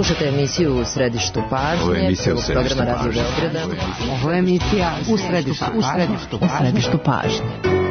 Slušajte emisiju U središtu pažnje. Ovo je emisija U središtu pažnje. Ovo je emisija U središtu pažnje.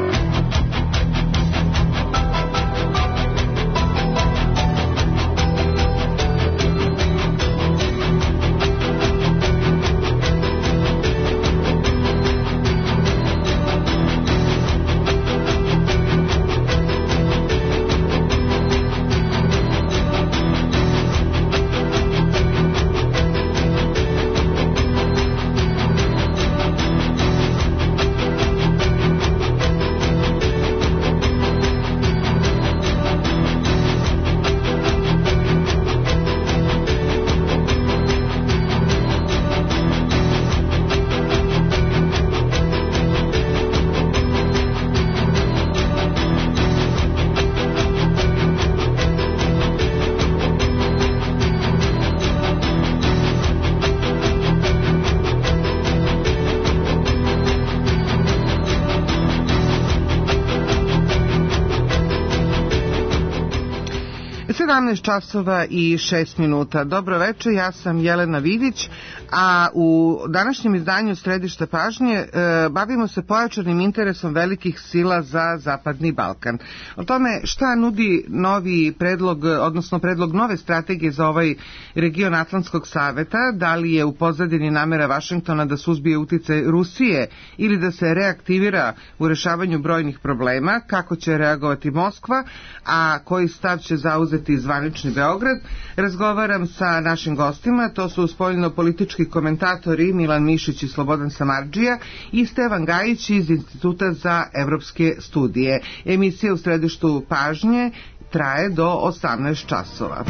Časova i 6 minuta. Dobro večer, ja sam Jelena Vidić, a u današnjem izdanju Središta pažnje bavimo se pojačanim interesom velikih sila za Zapadni Balkan. O tome šta nudi novi predlog, odnosno predlog nove strategije za ovaj region Atlantskog saveta, da li je u pozadini namera Vašingtona da suzbije uticaj Rusije ili da se reaktivira u rešavanju brojnih problema, kako će reagovati Moskva, a koji stav će zauzeti zvanični Beograd. Razgovaram sa našim gostima, to su spoljno-politički komentatori Milan Mišić i Slobodan Samardžija i Stevan Gajić iz Instituta za evropske studije. Emisija U središtu pažnje traje do 18 časova.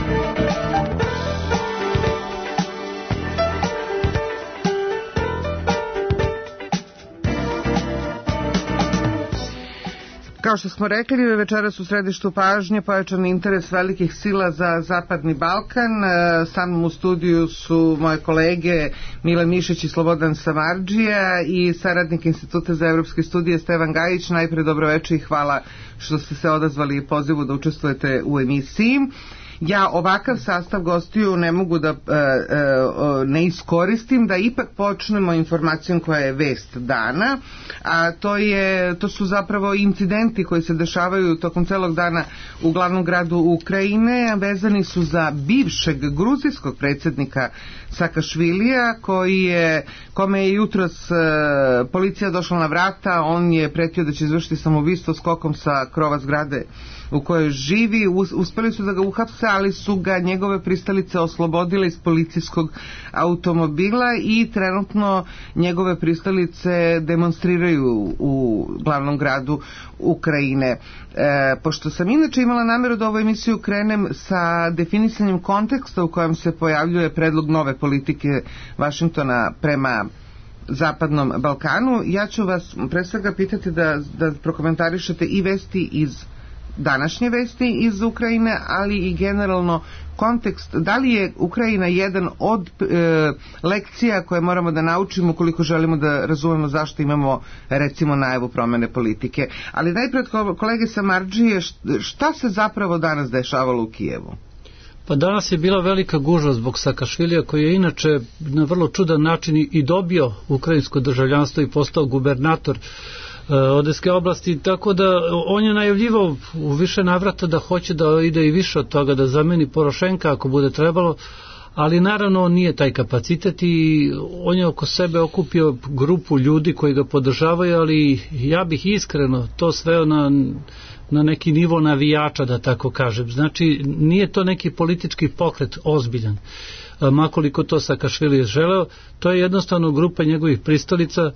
Kao što smo rekli, večeras u središtu pažnje pojačan interes velikih sila za Zapadni Balkan. Sa mnom u studiju su moje kolege Milan Mišić i Slobodan Samardžija i saradnik Instituta za evropske studije Stevan Gajić. Najpre dobroveče i hvala što ste se odazvali pozivu da učestvujete u emisiji. Ja ovakav sastav gostiju ne mogu da ne iskoristim, da ipak počnemo informacijom koja je vest dana, a to su zapravo incidenti koji se dešavaju tokom celog dana u glavnom gradu Ukrajine, vezani su za bivšeg gruzijskog predsjednika Sakašvilija, kome je jutros policija došla na vrata. On je pretio da će izvršiti samoubistvo skokom sa krova zgrade u kojoj živi. Uspeli su da ga uhapse, ali su ga njegove pristalice oslobodile iz policijskog automobila i trenutno njegove pristalice demonstriraju u glavnom gradu Ukrajine. Pošto sam inače imala nameru da ovu emisiju krenem sa definisanjem konteksta u kojem se pojavljuje predlog nove politike Vašingtona prema Zapadnom Balkanu, ja ću vas pre svega pitati da prokomentarišete i vesti iz današnje vesti iz Ukrajine, ali i generalno kontekst, da li je Ukrajina jedan od lekcija koje moramo da naučimo ukoliko želimo da razumemo zašto imamo recimo najavu promene politike. Ali najpred kolege Samardžije, šta se zapravo danas dešavalo u Kijevu? Pa danas je bila velika gužva zbog Sakašvilija, koji je inače na vrlo čudan način i dobio ukrajinsko državljanstvo i postao gubernator Odeske oblasti, tako da on je najavljivao u više navrata da hoće da ide i više od toga, da zameni Porošenka ako bude trebalo, ali naravno on nije taj kapacitet i on je oko sebe okupio grupu ljudi koji ga podržavaju, ali ja bih iskreno to sveo na neki nivo navijača, da tako kažem. Znači, nije to neki politički pokret ozbiljan, makoliko to Sakašvili želeo, to je jednostavno grupa njegovih pristalica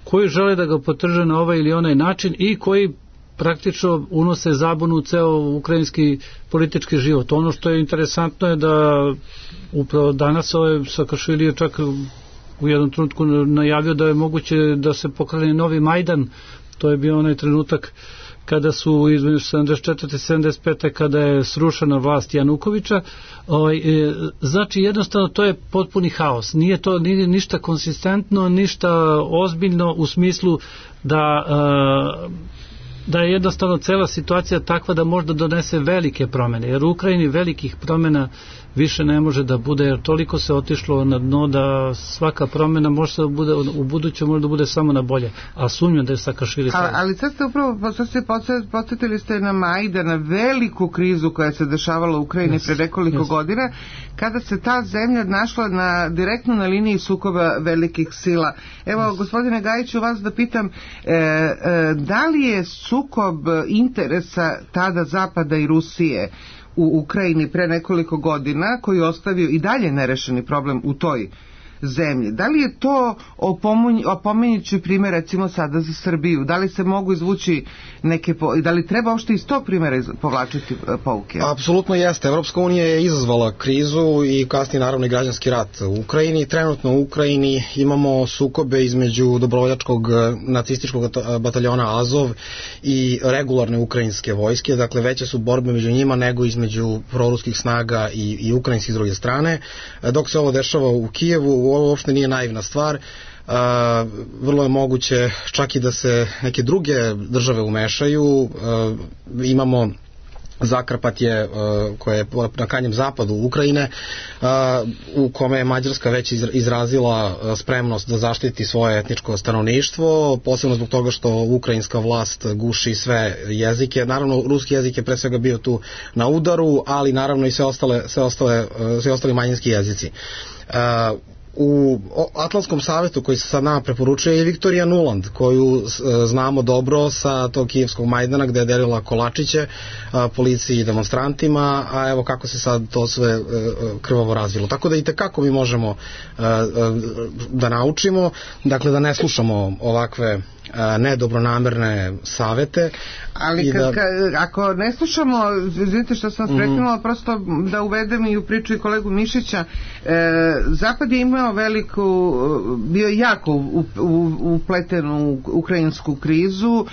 koji žele da ga podrže na ovaj ili onaj način i koji praktično unose zabunu u ceo ukrajinski politički život. Ono što je interesantno je da upravo danas Sakašvili je čak u jednom trenutku najavio da je moguće da se pokrene novi Majdan. To je bio onaj trenutak kada su između 74. i 75. kada je srušena vlast Janukovića. Znači jednostavno to je potpuni haos. Nije to ništa konsistentno, ništa ozbiljno u smislu da da je jednostavno cela situacija takva da možda donese velike promene, jer u Ukrajini velikih promena više ne može da bude, jer toliko se otišlo na dno da svaka promena može da bude, u buduće može da bude samo na bolje, a sumnjam da je Sakašvili ali sad ste upravo podsjetili ste na Majdan, na veliku krizu koja se dešavala u Ukrajini pre nekoliko godina, kada se ta zemlja našla direktno na liniji sukoba velikih sila. Evo, gospodine Gajiću, vas da pitam, da li je sukob interesa tada Zapada i Rusije u Ukrajini pre nekoliko godina, koji je ostavio i dalje nerešeni problem u toj zemlji, da li je to opominjući primjer recimo sada za Srbiju, da li se mogu izvući da li treba uopšte iz tog primjera povlačiti pouke? Apsolutno jeste. Evropska unija je izazvala krizu i kasnije naravno i građanski rat u Ukrajini. Trenutno u Ukrajini imamo sukobe između dobrovoljačkog nacističkog bataljona Azov i regularne ukrajinske vojske, dakle veće su borbe među njima nego između proruskih snaga i ukrajinskih s druge strane. Dok se ovo dešava u Kijevu, ovo uopšte nije naivna stvar. Vrlo je moguće čak i da se neke druge države umešaju. Imamo Zakarpatje koje je na krajnjem zapadu Ukrajine, u kome je Mađarska već izrazila spremnost da zaštiti svoje etničko stanovništvo, posebno zbog toga što ukrajinska vlast guši sve jezike. Naravno, ruski jezik je pre svega bio tu na udaru, ali naravno i sve ostali manjinski jezici. U Atlantskom savetu koji se sad nama preporučuje je Viktorija Nuland, koju znamo dobro sa tog kijevskog Majdana gde je delila kolačiće policiji i demonstrantima, a evo kako se sad to sve krvavo razvilo. Tako da i tekako mi možemo da naučimo, dakle da ne slušamo ovakve nedobronamerne savete. Ali ako ne slušamo, vidite što sam prekinula, prosto da uvedem i u priču i kolegu Mišića, Zapad je imao bio jako upleten u ukrajinsku krizu,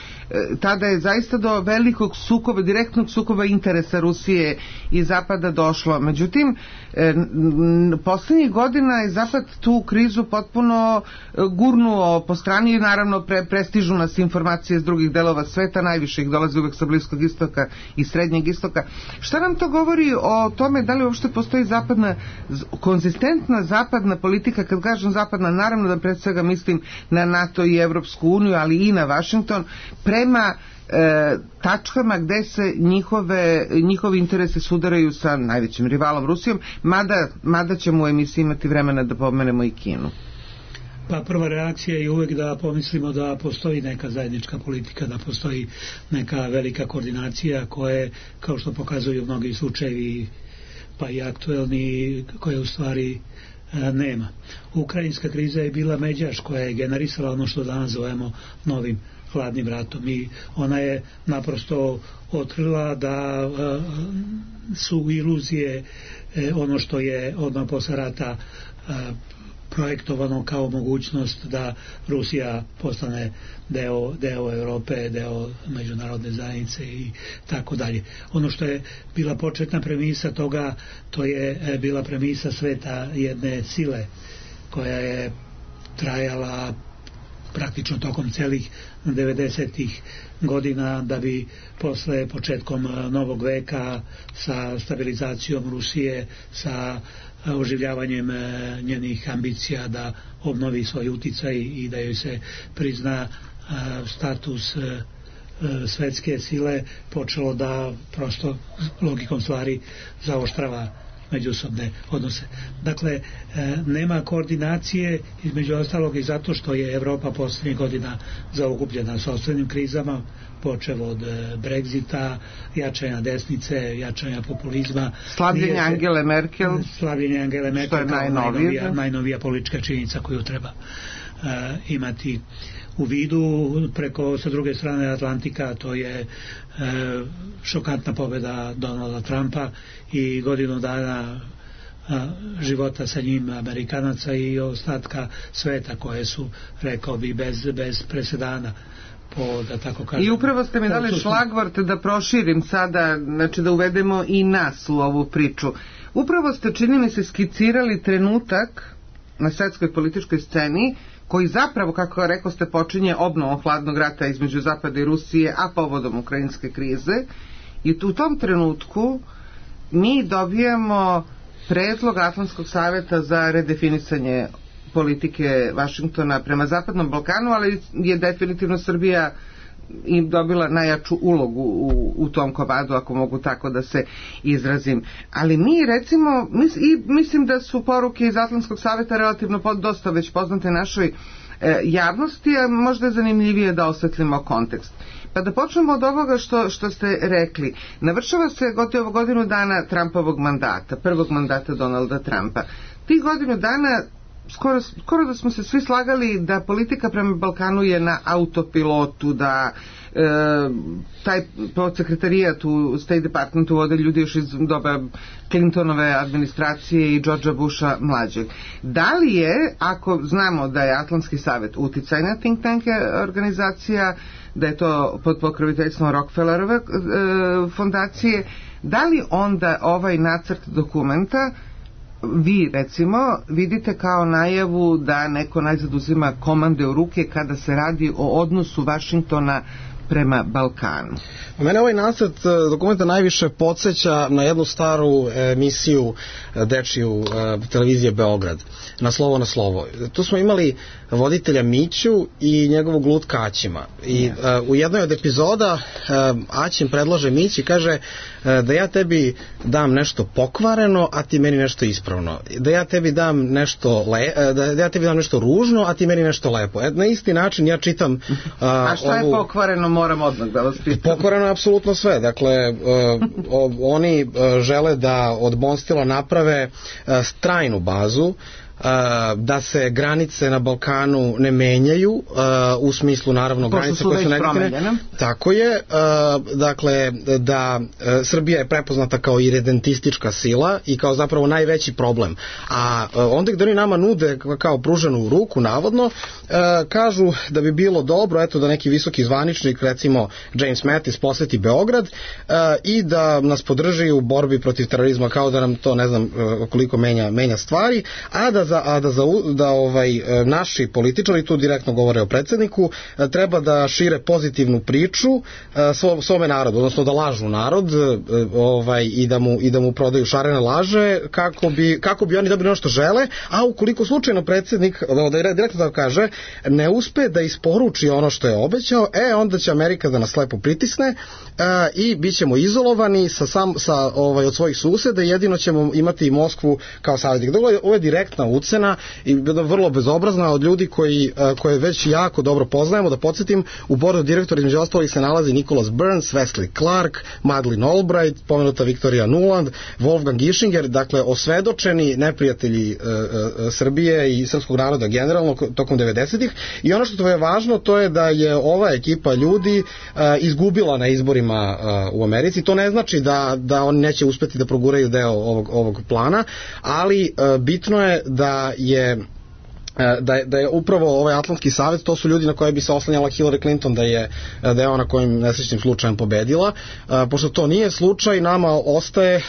tada je zaista do velikog sukoba, direktnog sukoba interesa Rusije i Zapada došlo. Međutim, poslednjih godina je Zapad tu krizu potpuno gurnuo po strani i naravno prestižu nas informacije iz drugih delova sveta, najviše ih dolazi uvek sa Bliskog istoka i Srednjeg istoka. Šta nam to govori o tome da li uopšte postoji konzistentna zapadna politika? Kad kažem zapadna, naravno da pred svega mislim na NATO i Evropsku uniju, ali i na Vašington, prema tačkama gde se njihovi interesi sudaraju sa najvećim rivalom Rusijom, mada ćemo u emisiji imati vremena da pomenemo i Kinu. Pa prva reakcija je uvek da pomislimo da postoji neka zajednička politika, da postoji neka velika koordinacija koje, kao što pokazuju mnogi slučajevi, pa i aktuelni, koje u stvari nema. Ukrajinska kriza je bila međaš koja je generisala ono što danas zovemo novim hladnim ratom i ona je naprosto otkrila da su iluzije ono što je odmah posle rata projektovano kao mogućnost da Rusija postane deo Europe, deo međunarodne zajednice i tako dalje. Ono što je bila početna premisa toga, to je bila premisa sveta jedne sile koja je trajala praktično tokom celih 90-ih godina, da bi posle početkom novog veka sa stabilizacijom Rusije, sa oživljavanjem njenih ambicija da obnovi svoj uticaj i da joj se prizna status svetske sile, počelo da prosto logikom stvari zaoštrava međusobne odnose. Dakle, nema koordinacije, između ostalog i zato što je Evropa poslednjih godina zaokupljena sopstvenim krizama, počev od Brexita, jačanja desnice, jačanja populizma. Slabljenje Angele Merkel, što je najnovija politička činjenica koju treba imati u vidu. Preko sa druge strane Atlantika to je šokantna pobjeda Donalda Trumpa i godinu dana života sa njim Amerikanaca i ostatka sveta koje su, rekao bi, bez presedana. Da tako kažem. I upravo ste mi dali šlagvort da proširim sada, znači da uvedemo i nas u ovu priču. Upravo ste, čini mi se, skicirali trenutak na svetskoj političkoj sceni koji zapravo, kako rekao ste, počinje obnovom hladnog rata između Zapada i Rusije, a povodom ukrajinske krize. I u tom trenutku mi dobijamo predlog Atlantskog saveta za redefinisanje politike Vašingtona prema Zapadnom Balkanu, ali je definitivno Srbija im dobila najjaču ulogu u tom komadu, ako mogu tako da se izrazim. Ali mi recimo, mislim da su poruke iz Atlantskog saveta relativno dosta već poznate našoj javnosti, a možda je zanimljivije da osvetlimo kontekst. Pa da počnemo od ovoga što ste rekli. Navršava se gotovo godinu dana Trumpovog mandata, prvog mandata Donalda Trumpa. Tih godinu dana skoro da smo se svi slagali da politika prema Balkanu je na autopilotu, da taj podsekretarijat u State Departmentu vode ljudi još iz doba Clintonove administracije i Georgea Busha mlađeg. Da li je, ako znamo da je Atlantski savet uticajna think tank organizacija, da je to pod pokroviteljstvom Rockefellerove fondacije, da li onda ovaj nacrt dokumenta vi recimo vidite kao najavu da neko najzad uzima komande u ruke kada se radi o odnosu Vašingtona prema Balkanu? Mene ovaj nacrt dokumenta najviše podsjeća na jednu staru emisiju dečiju televizije Beograd, na slovo. Tu smo imali voditelja Miću i njegovog lutka Aćima. I u jednoj od epizoda Aćim predlaže Mići, kaže da ja tebi dam nešto pokvareno, a ti meni nešto ispravno. Da ja tebi dam nešto da ja tebi dam nešto ružno, a ti meni nešto lepo. Na isti način ja čitam a šta je pokvareno, moram odmah da vas pitam. Pokvareno je apsolutno sve. Dakle, oni žele da od Bonstila naprave trajnu bazu, da se granice na Balkanu ne menjaju, u smislu naravno granice koje su negativne. Tako je, dakle da Srbija je prepoznata kao iredentistička sila i kao zapravo najveći problem. A onda gde oni nama nude kao pruženu ruku, navodno, kažu da bi bilo dobro, eto, da neki visoki zvaničnik, recimo James Mattis, poseti Beograd i da nas podrži u borbi protiv terorizma, kao da nam to, ne znam koliko menja stvari, a da naši političari, tu direktno govore o predsjedniku, treba da šire pozitivnu priču svome narodu, odnosno da lažu narod i da mu prodaju šarene laže kako bi oni dobili ono što žele, a ukoliko slučajno predsjednik, direktno da kaže, ne uspe da isporuči ono što je obećao, onda će Amerika da nas lepo pritisne i bit ćemo izolovani od svojih suseda, jedino ćemo imati Moskvu kao saveznik. Ovo je direktna ucena i vrlo bezobrazna od ljudi koje već jako dobro poznajemo. Da podsjetim, u bordu direktora između ostalih se nalazi Nicholas Burns, Wesley Clark, Madeleine Albright, pomenuta Victoria Nuland, Wolfgang Ischinger, dakle osvedočeni neprijatelji Srbije i srpskog naroda generalno tokom 90-ih. I ono što je važno, to je da je ova ekipa ljudi izgubila na izborima u Americi. To ne znači da oni neće uspeti da proguraju deo ovog plana, ali bitno je da je upravo ovaj Atlantski savet, to su ljudi na koje bi se oslanjala Hillary Clinton da je ona kojim nesrećnim slučajem pobedila. Pošto to nije slučaj, nama ostaje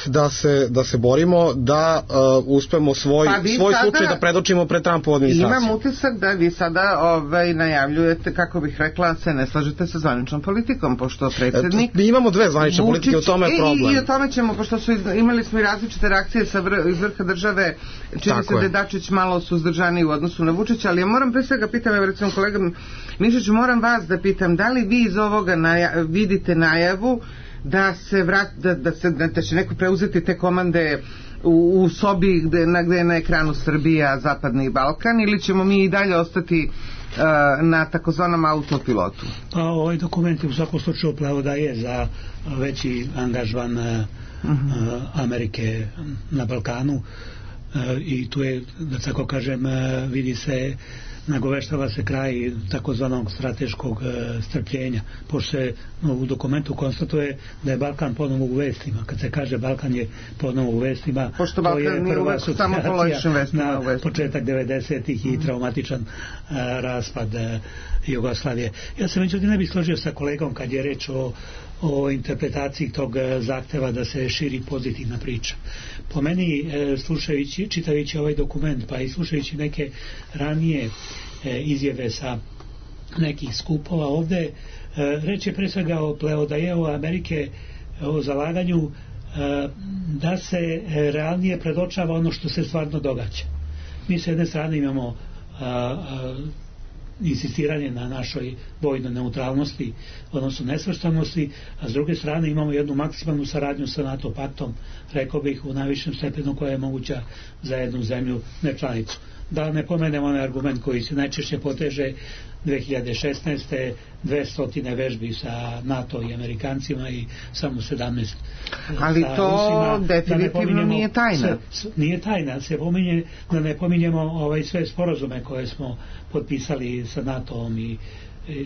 da se borimo da uspemo svoj slučaj da predočimo pred Trumpovu administraciju. Imam utisak da vi sada najavljujete, kako bih rekla, se ne slažete sa zvaničnom politikom, pošto predsjednik... Mi imamo dve zvanične politike, u tome je problem. I o tome ćemo, pošto imali smo i različite reakcije iz vrha države, čini se da je Dačić malo suzdržani u odnosu na Vučića, ali ja moram pre svega pitam, evo recimo kolega Mišiću, moram vas da pitam, da li vi iz ovoga vidite najavu da će neko preuzeti te komande u sobi gde je na ekranu Srbija, Zapadni Balkan, ili ćemo mi i dalje ostati na takozvanom autopilotu? Pa ovaj dokument je u svakom slučaju upravo da je za veći angažman Amerike na Balkanu. I tu je, da tako kažem, vidi se, nagoveštava se kraj takozvanog strateškog strpljenja, pošto se u dokumentu konstatuje da je Balkan ponovo u vestima. Kad se kaže Balkan je ponovo u vestima, pošto to je prva asocijacija na početak 90-ih i traumatičan raspad Jugoslavije. Ja se međutim ne bih složio sa kolegom kad je reč o interpretaciji tog zahteva da se širi pozitivna priča. Po meni, čitajući ovaj dokument, pa i slušajući neke ranije izjave sa nekih skupova ovde. Reč je pre svega o pleodajevu Amerike, o zalaganju da se realnije predočava ono što se stvarno događa. Mi s jedne strane imamo insistiranje na našoj vojnoj neutralnosti, odnosno nesvrstanosti, a s druge strane imamo jednu maksimalnu saradnju sa NATO paktom, rekao bih u najvišem stepenu koja je moguća za jednu zemlju nečlanicu. Da ne pomenemo onaj argument koji se najčešće poteže 2016. 200 vežbi sa NATO i Amerikancima i samo 17 ali sa to Rusima. definitivno nije tajna. Nije tajna, se pominje da ne pominjemo sve sporazume koje smo potpisali sa NATO-om i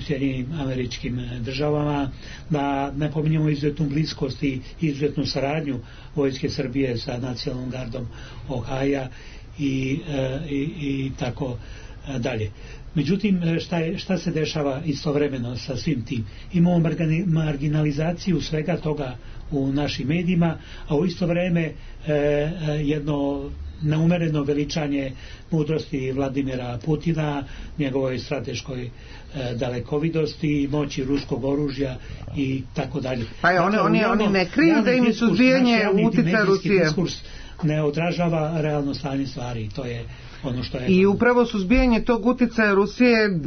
Sjedinjenim Američkim Državama, da ne pominjemo izuzetnu bliskost i izuzetnu saradnju Vojske Srbije sa Nacionalnom gardom Ohaja i tako dalje. Međutim, šta se dešava istovremeno sa svim tim? Imamo marginalizaciju svega toga u našim medijima, a u isto vreme jedno neumereno veličanje mudrosti Vladimira Putina, njegovoj strateškoj dalekovidosti, moći ruskog oružja i tako dalje. Pa oni ne kriju da im suzbijanje uticaja Rusije ne odražava realno stanje stvari. To je ono što je. I upravo suzbijanje tog uticaja Rusije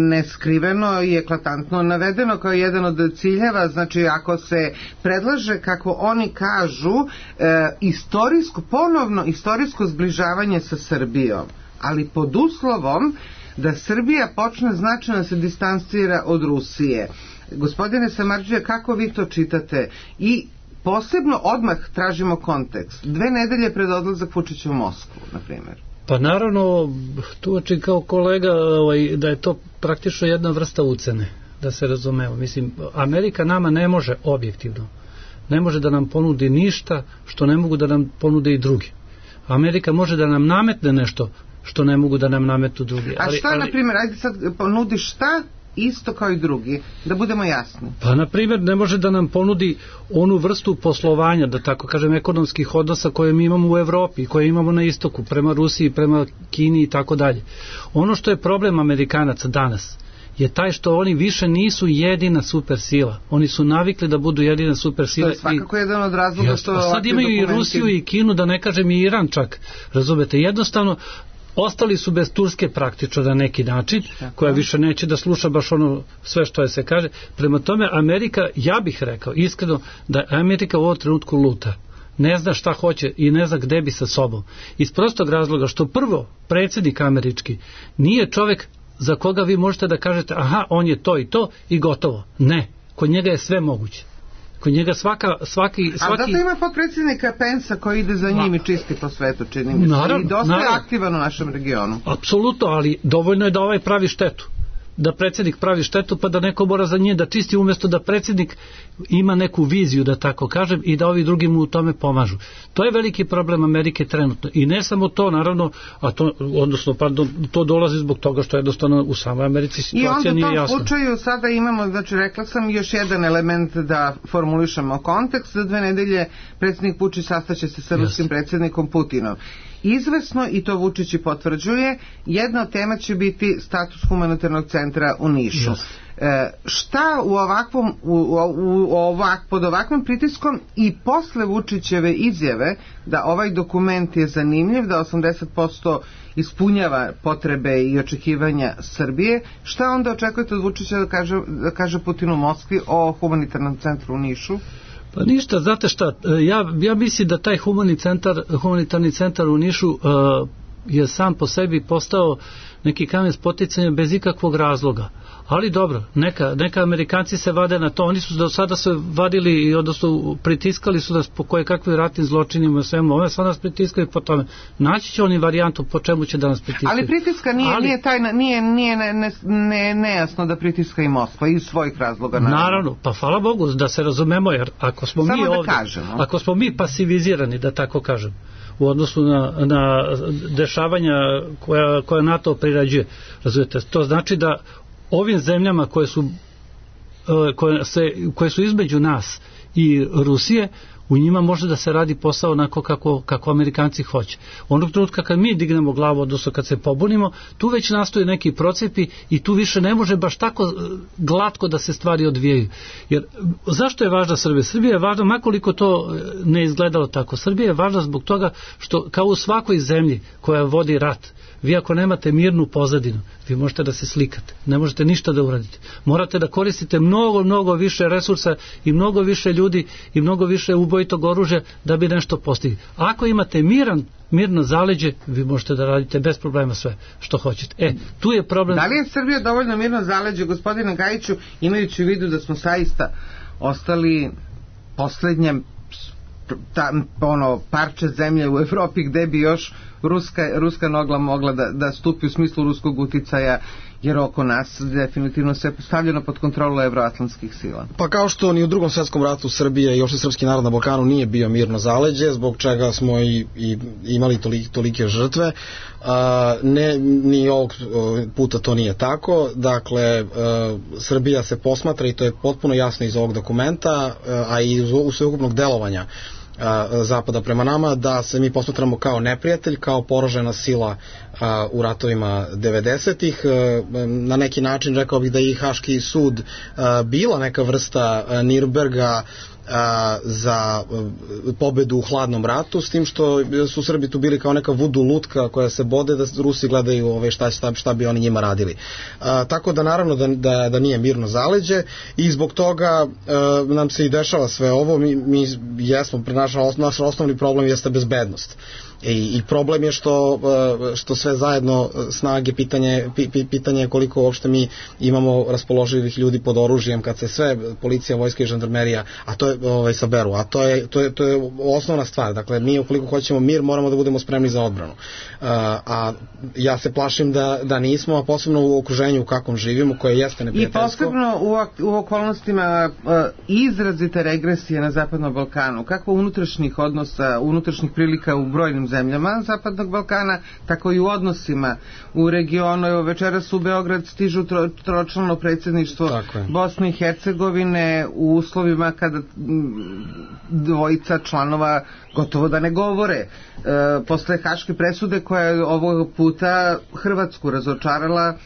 neskriveno i eklatantno navedeno kao jedan od ciljeva. Znači, ako se predlaže, kako oni kažu, ponovno istorijsko zbližavanje sa Srbijom, ali pod uslovom da Srbija počne značajno se distancira od Rusije. Gospodine Samardžija, kako vi to čitate? I posebno odmah tražimo kontekst. 2 nedelje pred odlazak Vučića u Moskvu, na primjer. Pa naravno, tumačim kao kolega da je to praktično jedna vrsta ucene, da se razumemo. Mislim, Amerika nama ne može objektivno, ne može da nam ponudi ništa što ne mogu da nam ponude i drugi. Amerika može da nam nametne nešto što ne mogu da nam nametu drugi. A šta, na primjer, ajde sad ponudiš šta? Isto kao i drugi, da budemo jasni. Pa, na primjer, ne može da nam ponudi onu vrstu poslovanja, da tako kažem, ekonomskih odnosa koje mi imamo u Evropi, koje imamo na istoku, prema Rusiji, prema Kini i tako dalje. Ono što je problem Amerikanaca danas je taj što oni više nisu jedina supersila. Oni su navikli da budu jedina supersila. To je svakako jedan od razloga što sad imaju i Rusiju i Kinu, da ne kažem i Iran čak. Razumete, jednostavno ostali su bez Turske praktično na neki način, koja više neće da sluša baš ono sve što je se kaže. Prema tome, Amerika, ja bih rekao iskreno da Amerika u ovom trenutku luta. Ne zna šta hoće i ne zna gde bi sa sobom. Iz prostog razloga što prvo predsjednik američki nije čovek za koga vi možete da kažete aha, on je to i to i gotovo. Ne, kod njega je sve moguće. Kod njega svaki... A zato ima potpredsjednika Pensa koji ide za njim i čisti po svetu, čini mi se. I dosta je aktivan u našem regionu. Apsolutno, ali dovoljno je da ovaj pravi štetu. Da predsjednik pravi štetu, pa da neko mora za nje da čisti, umjesto da predsjednik ima neku viziju, da tako kažem, i da ovi drugi mu u tome pomažu. To je veliki problem Amerike trenutno. I ne samo to, naravno, to dolazi zbog toga što jednostavno u samoj Americi situacija nije jasna. I onda u tom slučaju sada imamo, znači rekla sam, još jedan element da formulišemo kontekst. Za 2 nedelje predsjednik Vučić sastaće se sa ruskim predsjednikom Putinom. Izvesno, i to Vučić potvrđuje, jedna od tema će biti status humanitarnog centra u Nišu. Šta pod ovakvim pritiskom i posle Vučićeve izjave da ovaj dokument je zanimljiv, da 80% ispunjava potrebe i očekivanja Srbije, šta onda očekujete od Vučića da kaže Putinu u Moskvi o humanitarnom centru u Nišu? Pa ništa, znate šta, ja mislim da taj humanitarni centar u Nišu je sam po sebi postao neki kamen spoticanja bez ikakvog razloga. Ali dobro, neka Amerikanci se vade na to, oni su do sada se vadili i odnosno pritiskali su nas po koje kakvim ratnim zločinima, svemu ove, sad nas pritiskaju po tome. Naći će oni varijantu po čemu će da nas pritiskaju. Ali pritiska nije tajna, nije nejasno da pritiska i Moskva iz svojih razloga. Naravno, pa hvala Bogu da se razumemo, jer ako smo mi ovdje, ako smo mi pasivizirani, da tako kažem, u odnosu na dešavanja koja NATO prirađuje, razumijete, to znači da ovim zemljama koje su između nas i Rusije, U njima može da se radi posao onako kako Amerikanci hoće. Onog trenutka kad mi dignemo glavu, odnosno kad se pobunimo, tu već nastoje neki procepi i tu više ne može baš tako glatko da se stvari odvijaju. Jer zašto je važna Srbija? Srbija je važna, makoliko to ne izgledalo tako. Srbija je važna zbog toga što kao u svakoj zemlji koja vodi rat, vi ako nemate mirnu pozadinu, vi možete da se slikate, ne možete ništa da uradite. Morate da koristite mnogo više resursa i mnogo više ljudi i mnogo više ubojitog oružja da bi nešto postigli. Ako imate mirno zaleđe, vi možete da radite bez problema sve što hoćete. Tu je problem. Da li je Srbija dovoljno mirno zaleđe, gospodine Gajiću, imajući u vidu da smo saista ostali poslednje parče zemlje u Evropi gde bi još ruska nogla mogla da stupi u smislu ruskog uticaja, jer oko nas definitivno se stavljeno pod kontrolu evroatlantskih sila. Pa kao što ni u Drugom svjetskom ratu Srbija i uopšte srpski narod na Balkanu nije bio mirno zaleđe, zbog čega smo i imali tolike žrtve, ni ovog puta to nije tako. Dakle, Srbija se posmatra, i to je potpuno jasno iz ovog dokumenta, a i iz sveukupnog delovanja Zapada prema nama, da se mi posmatramo kao neprijatelj, kao poražena sila u ratovima 90-ih. Na neki način rekao bih da je i Haški sud bila neka vrsta Nürnberga za pobedu u hladnom ratu, s tim što su Srbi tu bili kao neka vudu lutka koja se bode da Rusi gledaju šta bi oni njima radili. Tako da naravno da nije mirno zaleđe i zbog toga nam se i dešava sve ovo. Mi jesmo, naš osnovni problem jeste bezbednost. I problem je što sve zajedno snage, pitanje je koliko uopšte mi imamo raspoloživih ljudi pod oružjem kad se sve policija, vojska i žandarmerija, a to je saberu, a to je osnovna stvar. Dakle, mi ukoliko hoćemo mir, moramo da budemo spremni za odbranu. A ja se plašim da nismo, a posebno u okruženju u kakvom živimo, koje jeste neprijateljsko. I posebno u okolnostima izrazite regresije na Zapadnom Balkanu. Kako unutrašnjih odnosa, unutrašnjih prilika u brojnim zemljama Zapadnog Balkana, tako i u odnosima u regionu. Evo, večeras u Beograd stižu tročlano predsjedništvo Bosne i Hercegovine u uslovima kada dvojica članova gotovo da ne govore. Posle haške presude koja je ovog puta Hrvatsku razočarala,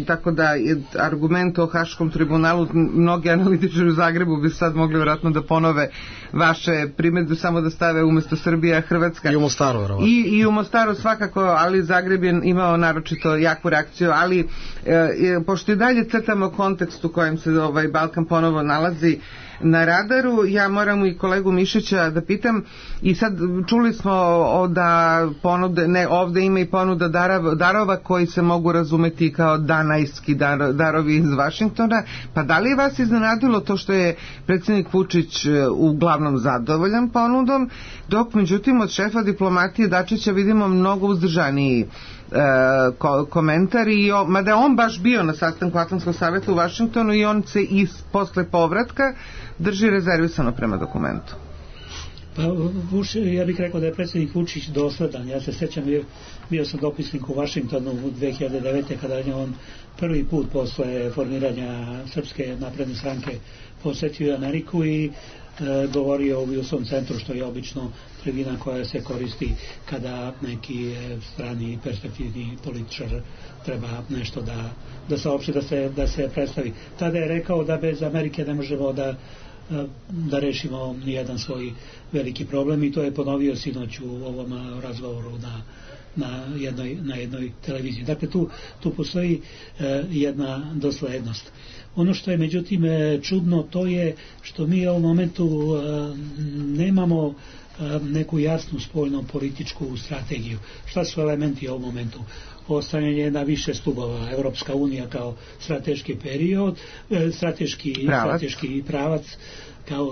tako da je argument o Haškom tribunalu, mnogi analitičari u Zagrebu bi sad mogli vjerojatno da ponove vaše primjedbe, samo da stave umjesto Srbija Hrvatska. I u Mostaru. I u Mostaru svakako, ali Zagreb je imao naročito jaku reakciju, ali pošto i dalje crtamo kontekst u kojem se Balkan ponovo nalazi na radaru, ja moram i kolegu Mišića da pitam, i sad čuli smo da ovde ima i ponuda darova koji se mogu razumeti kao danajski darovi iz Vašingtona, pa da li je vas iznenadilo to što je predsjednik Vučić uglavnom zadovoljan ponudom, dok međutim od šefa diplomatije Dačića vidimo mnogo uzdržaniji komentar, mada je on baš bio na sastanku Atlantskog savjeta u Vašingtonu i on se i posle povratka drži rezervisano prema dokumentu. Pa ja bih rekao da je predsjednik Vučić dosledan. Ja se sjećam, bio sam dopisnik u Vašingtonu u 2009. kada je on prvi put posle formiranja Srpske napredne stranke posjetio Ameriku i govorio u Wilson centru, što je obično tribina koja se koristi kada neki strani perspektivni političar treba nešto da saopšti, da se predstavi. Tada je rekao da bez Amerike ne možemo da rešimo nijedan svoj veliki problem, i to je ponovio sinoć u ovom razgovoru na jednoj televiziji. Dakle, tu postoji jedna doslednost. Ono što je međutim čudno, to je što mi u ovom momentu nemamo neku jasnu spoljnu političku strategiju. Šta su elementi u ovom momentu? Ostavljanje na više stubova, Evropska unija kao strateški period, strateški pravac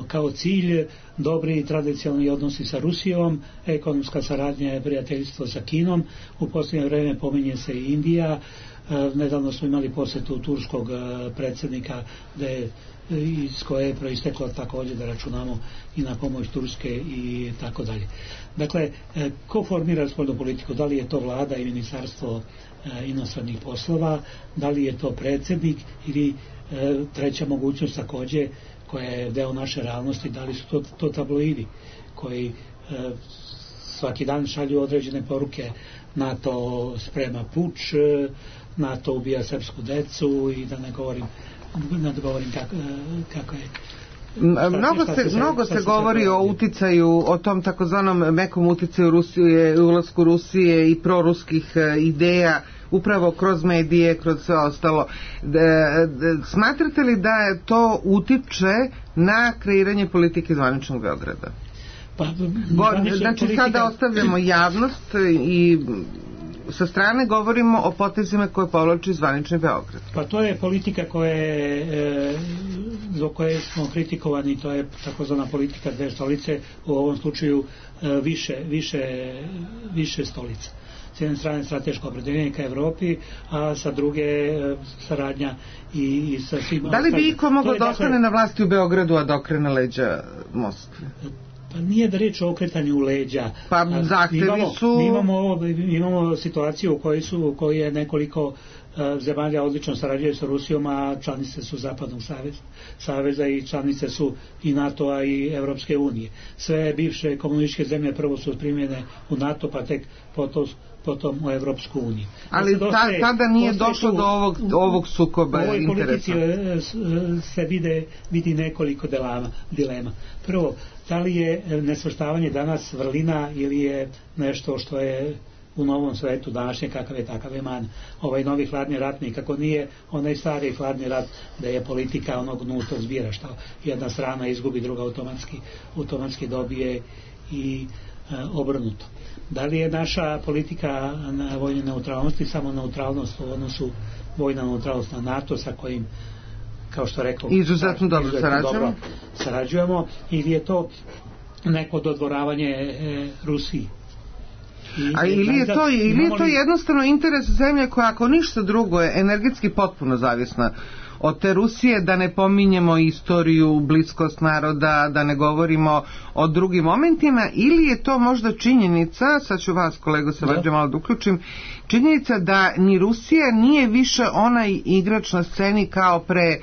kao cilj, dobri tradicionalni odnosi sa Rusijom, ekonomska saradnja i prijateljstvo sa Kinom, u posljednje vreme pominje se i Indija. Nedavno smo imali posjetu turskog predsjednika iz koje je proisteklo također da računamo i na pomoć Turske i tako dalje. Dakle, ko formira spoljnu politiku? Da li je to vlada i ministarstvo inostranih poslova, da li je to predsjednik ili treća mogućnost također je deo naše realnosti, da li su to tabloidi koji svaki dan šalju određene poruke. NATO sprema puč, NATO ubija srpsku decu i da ne govorim kako je. Mnogo se govori o uticaju, o tom takozvanom mekom uticaju Rusije, ulasku Rusije i proruskih ideja upravo kroz medije, kroz sve ostalo. Smatrate li da je to utiče na kreiranje politike zvaničnog Beograda? Znači sada ostavljamo javnost i sa strane govorimo o potezima koje povlači zvanični Beograd. Pa to je politika zbog koje smo kritikovani, to je takozvana politika dve stolice, u ovom slučaju više stolica. S jedne strane strateško opredeljenje ka Evropi, a sa druge saradnja i sa svima. Da li bi iko mogao da ostane na vlasti u Beogradu, a da okrene leđa Moskvi? Pa nije da reč o okretanju u leđa. Pa zahtevi su... Mi imamo situaciju u kojoj je nekoliko zemalja odlično sarađuje sa Rusijom, a članice su Zapadnog saveza i članice su i NATO-a i Evropske unije. Sve bivše komunističke zemlje prvo su primljene u NATO, pa tek potom u Evropsku uniju. Ali tada nije došlo do ovog sukoba interesa. U ovoj politici se vidi nekoliko dilema. Prvo, da li je nesvrstavanje danas vrlina ili je nešto što je u novom svetu današnje, kakav je takav je man. Ovaj novi hladni rat nikako nije onaj stari hladni rat da je politika onog nultog zbira, što jedna strana izgubi, druga automatski dobije i obrnuto. Da li je naša politika na vojne neutralnosti samo neutralnost u odnosu vojna neutralnost na NATO sa kojim, kao što rekao, izuzetno dobro sarađujemo, ili je to neko dodvoravanje Rusiji? Ili je to jednostavno interes zemlje koja, ako ništa drugo, je energetski potpuno zavisna od te Rusije, da ne pominjemo istoriju, bliskost naroda, da ne govorimo o drugim momentima, ili je to možda činjenica, sad ću vas, kolego, se vađe malo da uključim, činjenica da ni Rusija nije više onaj igrač na sceni kao pre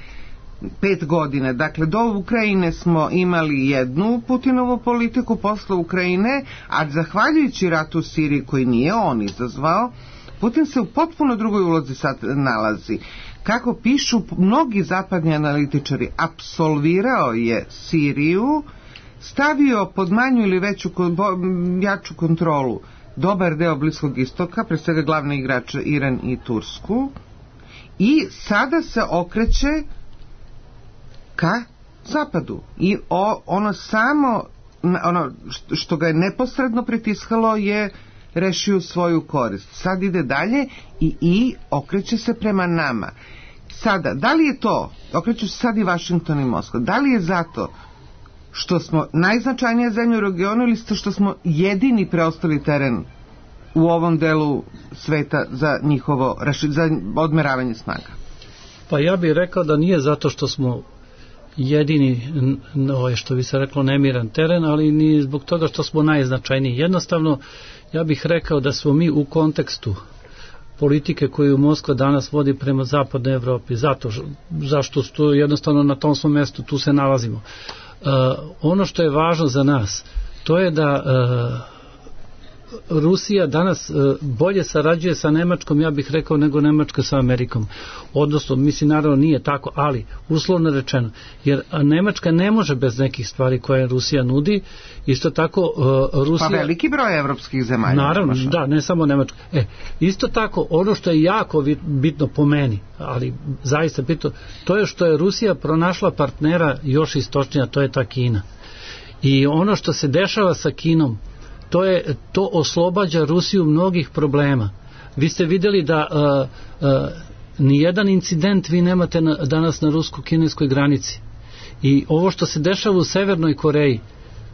5 godina. Dakle, do Ukrajine smo imali jednu Putinovu politiku, posle Ukrajine, a zahvaljujući ratu u Siriji koji nije on izazvao, Putin se u potpuno drugoj ulozi sad nalazi. Kako pišu mnogi zapadni analitičari, apsolvirao je Siriju, stavio pod manju ili jaču kontrolu dobar deo Bliskog istoka, pre svega glavni igrač Iran i Tursku, i sada se okreće ka zapadu. I ono što ga je neposredno pritiskalo je rešio svoju korist. Sad ide dalje i okreće se prema nama. Sada, da li je to, okreću se sad i Vašington i Moskva, da li je zato što smo najznačajnija zemlja u regionu ili što smo jedini preostali teren u ovom delu sveta za za odmeravanje snaga? Pa ja bih rekao da nije zato što smo jedini, što bi se reklo, nemiran teren, ali ni zbog toga što smo najznačajniji. Jednostavno, ja bih rekao da smo mi u kontekstu politike koju Moskva danas vodi prema zapadnoj Evropi, zašto jednostavno na tom svom mestu tu se nalazimo. Ono što je važno za nas, to je da Rusija danas bolje sarađuje sa Nemačkom, ja bih rekao, nego Nemačka sa Amerikom. Odnosno, mislim, naravno nije tako, ali uslovno rečeno, jer Nemačka ne može bez nekih stvari koje Rusija nudi. Isto tako Rusija... Pa veliki broj evropskih zemalja. Naravno, da, ne samo Nemačka. Isto tako, ono što je jako bitno po meni, ali zaista bitno, to je što je Rusija pronašla partnera još istočnija, to je ta Kina. I ono što se dešava sa Kinom, to oslobađa Rusiju mnogih problema. Vi ste vidjeli da nijedan incident vi nemate danas na rusko-kineskoj granici. I ovo što se dešava u Severnoj Koreji,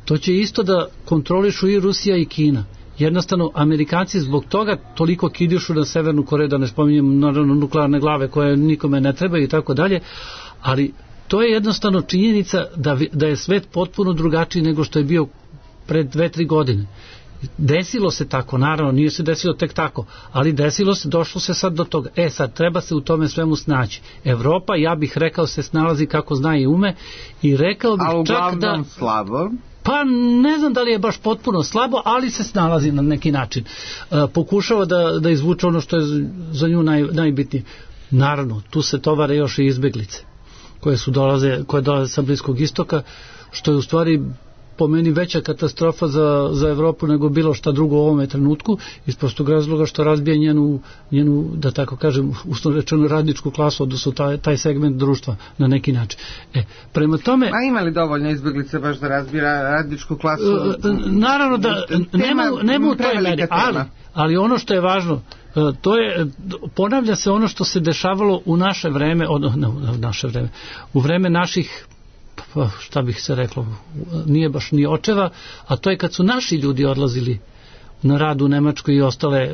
to će isto da kontrolišu i Rusija i Kina. Jednostavno, Amerikanci zbog toga toliko kidišu na Severnu Koreju, da ne spominjem naravno nuklearne glave koje nikome ne trebaju i tako dalje, ali to je jednostavno činjenica da je svet potpuno drugačiji nego što je bio pred 2-3 godine. Desilo se tako, naravno, nije se desilo tek tako, ali desilo se, došlo se sad do toga. Sad, treba se u tome svemu snaći. Evropa, ja bih rekao, se snalazi kako zna i ume i rekao bih čak da... slabo? Pa ne znam da li je baš potpuno slabo, ali se snalazi na neki način. Pokušava da izvuče ono što je za nju najbitnije. Naravno, tu se tovare još i izbeglice koje dolaze sa Bliskog istoka, što je u stvari po meni veća katastrofa za Evropu nego bilo šta drugo u ovome trenutku, iz prostog razloga što razbija njenu, da tako kažem, uslovno rečeno radničku klasu, odnosno taj segment društva na neki način. Prema tome... A ima li dovoljno izbeglice baš da razbija radničku klasu? Naravno da nema u toj meri, ali ono što je važno, to je, ponavlja se ono što se dešavalo u naše vreme, u vreme naših, šta bih se reklo, nije baš ni očeva, a to je kad su naši ljudi odlazili na rad u Nemačku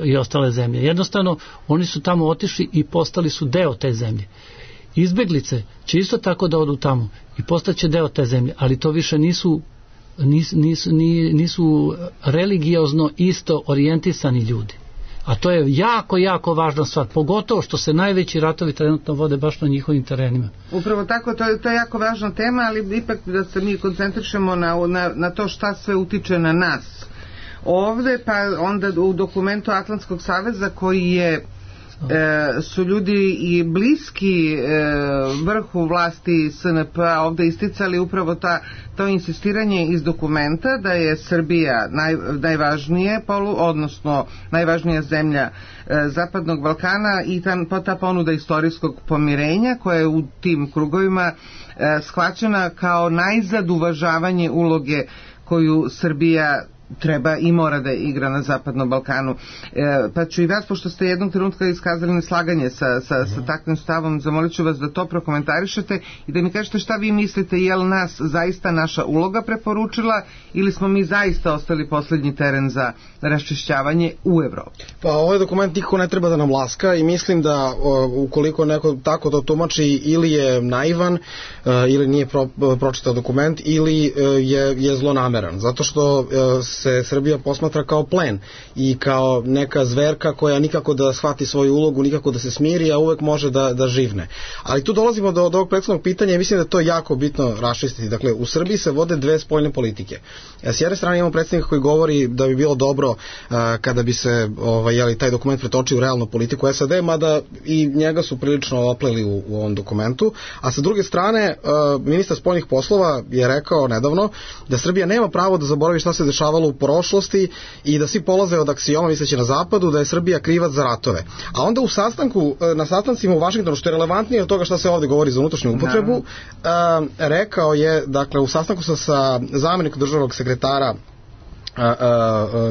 i ostale zemlje. Jednostavno, oni su tamo otišli i postali su deo te zemlje. Izbeglice će isto tako da odu tamo i postaće deo te zemlje, ali to više nisu religiozno isto orijentisani ljudi. A to je jako, jako važna stvar, pogotovo što se najveći ratovi trenutno vode baš na njihovim terenima. Upravo tako, to je jako važna tema, ali ipak da se mi koncentrišemo na to šta sve utiče na nas. Ovde, pa onda u dokumentu Atlantskog saveza koji je su ljudi i bliski vrhu vlasti SNP ovde isticali upravo to insistiranje iz dokumenta da je Srbija najvažnije odnosno najvažnija zemlja Zapadnog Balkana i ta ponuda istorijskog pomirenja koja je u tim krugovima shvaćena kao najzad uvažavanje uloge koju Srbija treba i mora da igra na Zapadnom Balkanu. Pa ću i vas, pošto ste jednog trenutka iskazali neslaganje sa takvim stavom, zamolit ću vas da to prokomentarišete i da mi kažete šta vi mislite, je li nas zaista naša uloga preporučila ili smo mi zaista ostali poslednji teren za raščišćavanje u Evropi? Pa ovaj dokument niko ne treba da nam laska i mislim da ukoliko neko tako to tumači ili je naivan ili nije pročitao dokument ili je zlonameran, zato što se Srbija posmatra kao plen i kao neka zverka koja nikako da shvati svoju ulogu, nikako da se smiri, a uvek može da živne. Ali tu dolazimo do ovog prethodnog pitanja i mislim da to je jako bitno raščistiti. Dakle, u Srbiji se vode dve spoljne politike. S jedne strane imamo predsjednika koji govori da bi bilo dobro kada bi se taj dokument pretočio u realnu politiku SAD, mada i njega su prilično opleli u ovom dokumentu, a sa druge strane ministar spoljnih poslova je rekao nedavno da Srbija nema pravo da zaboravi šta se dešavalo u prošlosti i da svi polaze od aksioma misleći na zapadu da je Srbija krivac za ratove. A onda na sastancima u Vašingtonu, što je relevantnije od toga šta se ovde govori za unutrašnju upotrebu, rekao je, dakle, u sastanku sa zamjenikom državnog sekretara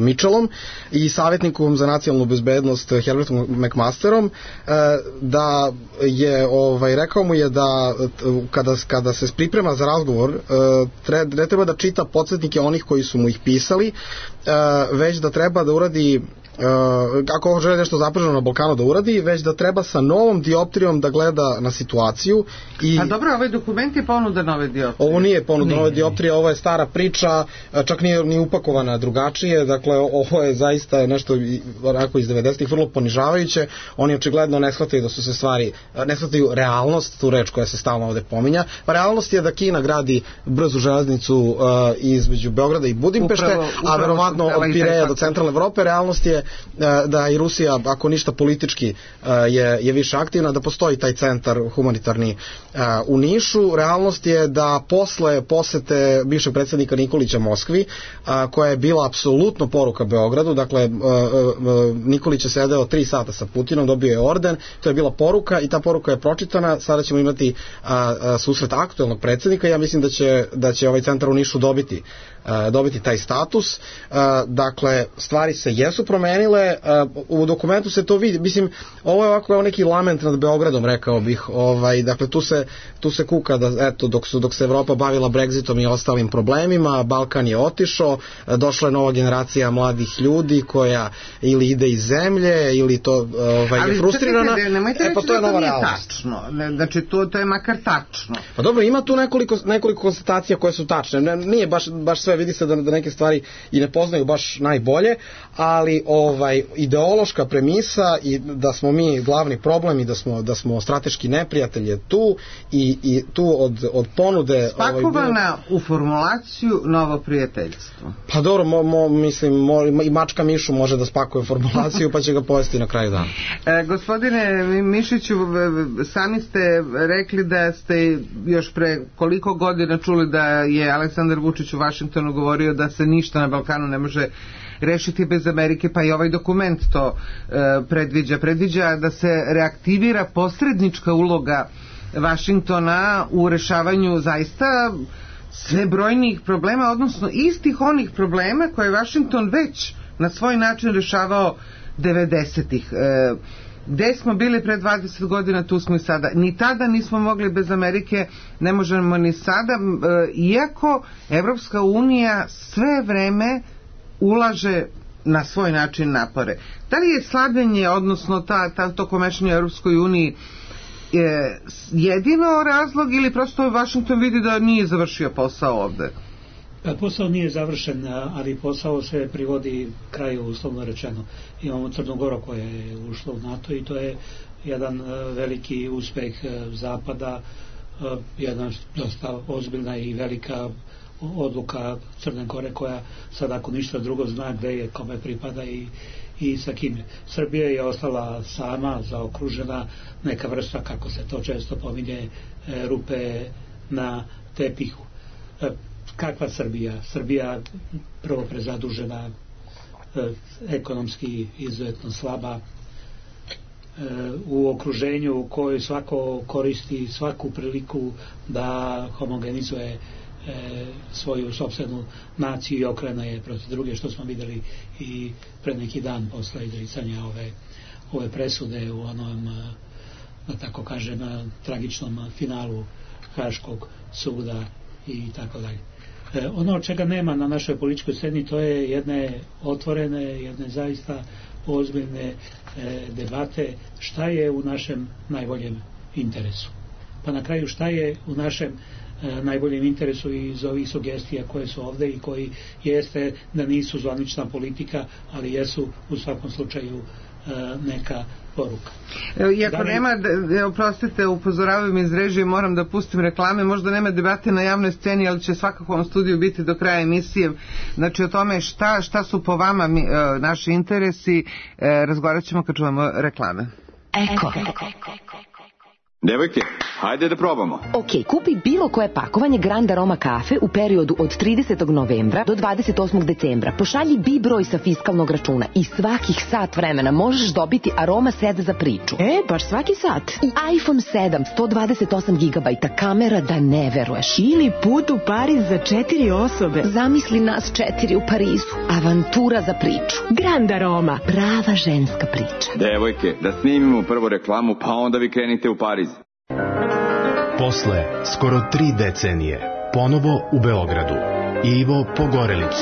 Mitchellom i savjetnikom za nacionalnu bezbednost Herbertom McMasterom, da je rekao mu je da kada se priprema za razgovor ne treba da čita podsjetnike onih koji su mu ih pisali, već da treba da uradi, ako želi nešto zapaženo na Balkanu da uradi, već da treba sa novom dioptrijom da gleda na situaciju. A dobro, ovaj dokument je ponuda nove dioptrije. Ovo nije ponuda nove dioptrije, ovo je stara priča, čak nije ni upakovana drugačije, dakle ovo je zaista nešto onako iz 90-ih vrlo ponižavajuće. Oni očigledno ne shvataju da su se stvari, ne shvataju realnost, tu reč koja se stalno ovde pominja. Pa realnost je da Kina gradi brzu železnicu između Beograda i Budimpešte, a verovatno od Pireja do centralne Evrope. Realnost je da i Rusija, ako ništa politički, je više aktivna, da postoji taj centar humanitarni u Nišu. Realnost je da posle posete bivšeg predsjednika Nikolića Moskvi, koja je bila apsolutno poruka Beogradu, dakle Nikolić je sedeo 3 sata sa Putinom, dobio je orden, to je bila poruka i ta poruka je pročitana. Sada ćemo imati susret aktuelnog predsjednika. Ja mislim da će ovaj centar u Nišu dobiti taj status. Dakle, stvari se jesu promenile, u dokumentu se to vidi. Mislim, ovo je ovako neki lament nad Beogradom, rekao bih. Dakle, tu se kuka da, eto, dok se Evropa bavila Brexitom i ostalim problemima, Balkan je otišao, došla je nova generacija mladih ljudi koja ili ide iz zemlje ili to je frustrirana. Ali nemojte reći da to nije tačno. Znači, to je makar tačno. Pa dobro, ima tu nekoliko konstatacija koje su tačne. Nije baš sve vidi se da neke stvari i ne poznaju baš najbolje, ali ideološka premisa i da smo mi glavni problem i da smo strateški neprijatelj je tu i tu od ponude spakovana u formulaciju novo prijateljstvo. Pa dobro, mislim i mačka mišu može da spakuje formulaciju pa će ga pojesti na kraju dana. Gospodine Mišiću, sami ste rekli da ste još pre koliko godina čuli da je Aleksandar Vučić u Vašingtonu govorio da se ništa na Balkanu ne može rešiti bez Amerike, pa i ovaj dokument to predviđa da se reaktivira posrednička uloga Vašingtona u rešavanju zaista sve brojnijih problema, odnosno istih onih problema koje je Vašington već na svoj način rešavao 90-ih. Gde smo bili pre 20 godina, tu smo i sada. Ni tada nismo mogli bez Amerike, ne možemo ni sada, iako Evropska unija sve vreme ulaže na svoj način napore. Da li je slabljenje, odnosno to komešanje u Evropskoj uniji jedino razlog ili prosto Vašington vidi da nije završio posao ovde? Posao nije završen, ali posao se privodi kraju, uslovno rečeno. Imamo Crnu Goru koja je ušla u NATO i to je jedan veliki uspeh Zapada, jedna dosta ozbiljna i velika odluka Crne Gore koja sad ako ništa drugo zna gde je, kome pripada i sa kim. Srbija je ostala sama, zaokružena, neka vrsta, kako se to često pominje, rupe na tepihu. Kakva Srbija? Srbija prvo prezadužena, ekonomski izuzetno slaba, u okruženju u kojoj svako koristi svaku priliku da homogenizuje svoju sopstvenu naciju i okrene je protiv druge, što smo videli i pred neki dan posle izricanja ove presude u onom, da tako kažem, tragičnom finalu Haškog suda i tako dalje. Ono od čega nema na našoj političkoj sceni, to je jedne otvorene, jedne zaista ozbiljne debate šta je u našem najboljem interesu. Pa na kraju šta je u našem najboljem interesu iz ovih sugestija koje su ovde i koji jeste da nisu zvanična politika, ali jesu u svakom slučaju neka poruka. Iako nema, oprostite, upozoravam iz režije, moram da pustim reklame, možda nema debate na javnoj sceni, ali će svakako u ovom studiju biti do kraja emisije. Znači o tome šta su po vama naši interesi, razgovarat ćemo kad čujemo reklame. Eko. Devojke, hajde da probamo. Ok, kupi bilo koje pakovanje Grand Aroma kafe u periodu od 30. novembra do 28. decembra. Pošalji B broj sa fiskalnog računa i svakih sat vremena možeš dobiti Aroma set za priču. Baš svaki sat. I iPhone 7, 128 GB, kamera da ne veruješ. Ili put u Pariz za 4 osobe. Zamisli nas 4 u Parizu. Avantura za priču. Grand Aroma. Prava ženska priča. Devojke, da snimimo prvo reklamu, pa onda vi krenite u Pariz. Posle skoro 3 decenije, ponovo u Beogradu, Ivo Pogorelić,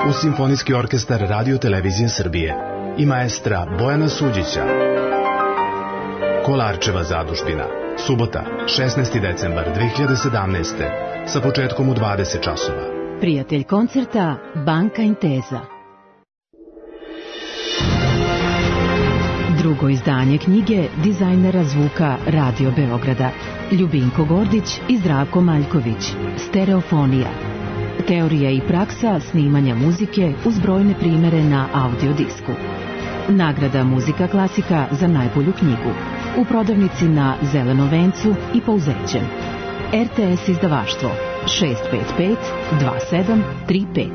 uz Simfonijski orkestar Radio Televizije Srbije i maestra Bojana Suđića. Kolarčeva zadužbina, subota, 16. decembar 2017. sa početkom u 20 časova. Prijatelj koncerta Banka Intesa. Drugo izdanje knjige dizajnera zvuka Radio Beograda Ljubinko Gordić i Zdravko Maljković. Stereofonija. Teorija i praksa snimanja muzike uz brojne primere na audiodisku. Nagrada Muzika klasika za najbolju knjigu. U prodavnici na Zelenom vencu i Pouzećem. RTS izdavaštvo 655 2735.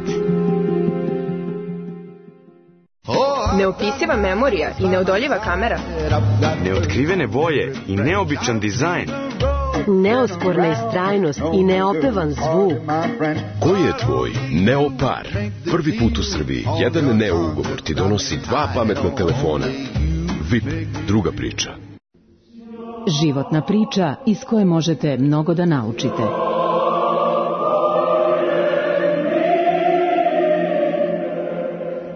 Neopisiva memorija i neodoljiva kamera. Neotkrivene boje i neobičan dizajn. Neosporna istrajnost i neopevan zvuk. Koji je tvoj Neopar? Prvi put u Srbiji jedan Neo ugovor ti donosi 2 pametna telefona. VIP, druga priča. Životna priča iz koje možete mnogo da naučite.